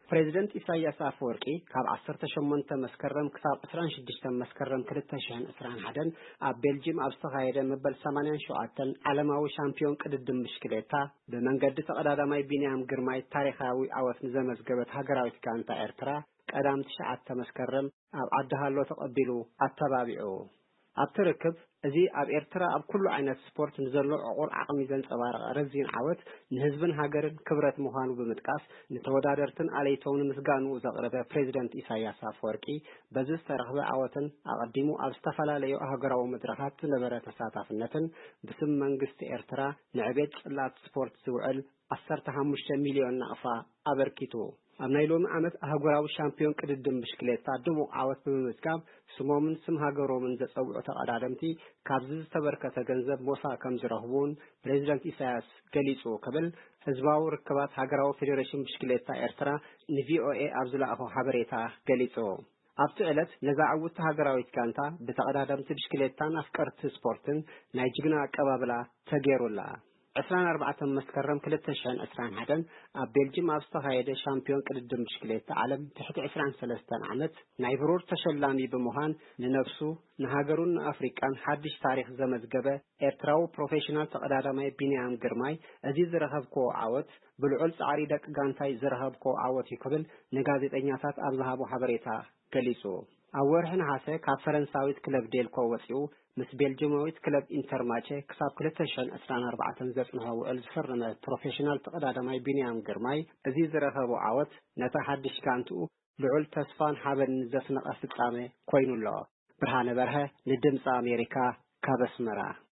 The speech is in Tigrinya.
ፕሬዚደንት ኢሳያስ ኣፈወርቂ ካብ ዓሰርተ ሸሞንተ መስከረም ክሳብ ዕስራን ሽዱሽተን መስከረም ክልተ ሽሕን ዕስራን ሓደን ኣብ ቤልጂም ኣብ ዝተኻየደ መበል ሰማንያን ሸውዓተን ዓለማዊ ሻምፒዮን ቅድድም ብሽክሌታ ብመንገዲ ተቐዳዳማይ ቢንያም ግርማይ ታሪኻዊ ዓወት ንዘመዝገበት ሃገራዊት ጋንታ ኤርትራ ቀዳም ትሽዓተ መስከረም ኣብ ዓዲ ሃሎ ተቐቢሉ ኣተባቢዑ። ኣብቲ ርክብ፣ እዚ ኣብ ኤርትራ ኣብ ኩሉ ዓይነት ስፖርት ንዘሎ ዕቑር ዓቕሚ ዘንጸባረቐ ረዚን ዓወት ንህዝብን ሃገርን ክብረት ምዃኑ ብምጥቃስ፣ ንተወዳደርትን ኣለይቶምን ምስጋንኡ ዘቕረበ ፕሬዚደንት ኢሳያስ ኣፈወርቂ፣ በዚ ዝተረኽበ ዓወትን ኣቐዲሙ ኣብ ዝተፈላለዩ ኣህጉራዊ መድረኻት ዝነበረ ተሳታፍነትን ብስም መንግስቲ ኤርትራ ንዕቤት ጽላት ስፖርት ዝውዕል ዓሰርተ ሓሙሽተ ሚልዮን ናቕፋ ኣበርኪቱ። ኣብ ናይ ሎሚ ዓመት ኣህጉራዊ ሻምፒዮን ቅድድም ብሽክሌታ ድሙቕ ዓወት ብምምዝጋብ፣ ስሞምን ስም ሃገሮምን ዘጸውዑ ተቐዳደምቲ ካብዚ ዝተበርከተ ገንዘብ ሞሳ ከም ዝረኽቡ እውን ፕሬዚደንት ኢሳያስ ገሊጹ ክብል ህዝባዊ ርክባት ሃገራዊ ፌዴሬሽን ብሽክሌታ ኤርትራ ንቪኦኤ ኣብ ዝለኣኾ ሓበሬታ ገሊጹ። ኣብቲ ዕለት ነዛ ዕውቲ ሃገራዊት ጋንታ ብተቐዳደምቲ ብሽክሌታን ኣፍቀርቲ ስፖርትን ናይ ጅግና ኣቀባብላ ተገይሩላ። ዕስራን ኣርባዕተን መስከረም ክልተ ሽሕን ዕስራን ሓደን ኣብ ቤልጅም ኣብ ዝተኻየደ ሻምፒዮን ቅድድም ብሽክሌታ ዓለም ትሕቲ ዕስራን ሰለስተን ዓመት ናይ ብሩር ተሸላሚ ብምዃን ንነብሱ፣ ንሃገሩን ንኣፍሪቃን ሓድሽ ታሪኽ ዘመዝገበ ኤርትራዊ ፕሮፌሽናል ተቐዳዳማይ ቢንያም ግርማይ፣ እዚ ዝረኸብክዎ ዓወት ብልዑል ጻዕሪ ደቂ ጋንታይ ዝረኸብክዎ ዓወት እዩ ክብል ንጋዜጠኛታት ኣብ ዝሃቦ ሓበሬታ ገሊጹ። ኣብ ወርሒ ነሓሰ ካብ ፈረንሳዊት ክለብ ዴልኮ ወጺኡ ምስ ቤልጅማዊት ክለብ ኢንተርማቸ ክሳብ ክልተ ሽሕን ዕስራን ኣርባዕተን ዘጽንሖ ውዕል ዝፈረመ ፕሮፌሽናል ተቐዳዳማይ ቢንያም ግርማይ፣ እዚ ዝረኸቦ ዓወት ነታ ሓድሽ ጋንትኡ ልዑል ተስፋን ሓበንን ዘስነቐ ፍጻመ ኮይኑ ኣሎ። ብርሃነ በርሀ ንድምፂ ኣሜሪካ ካብ ኣስመራ።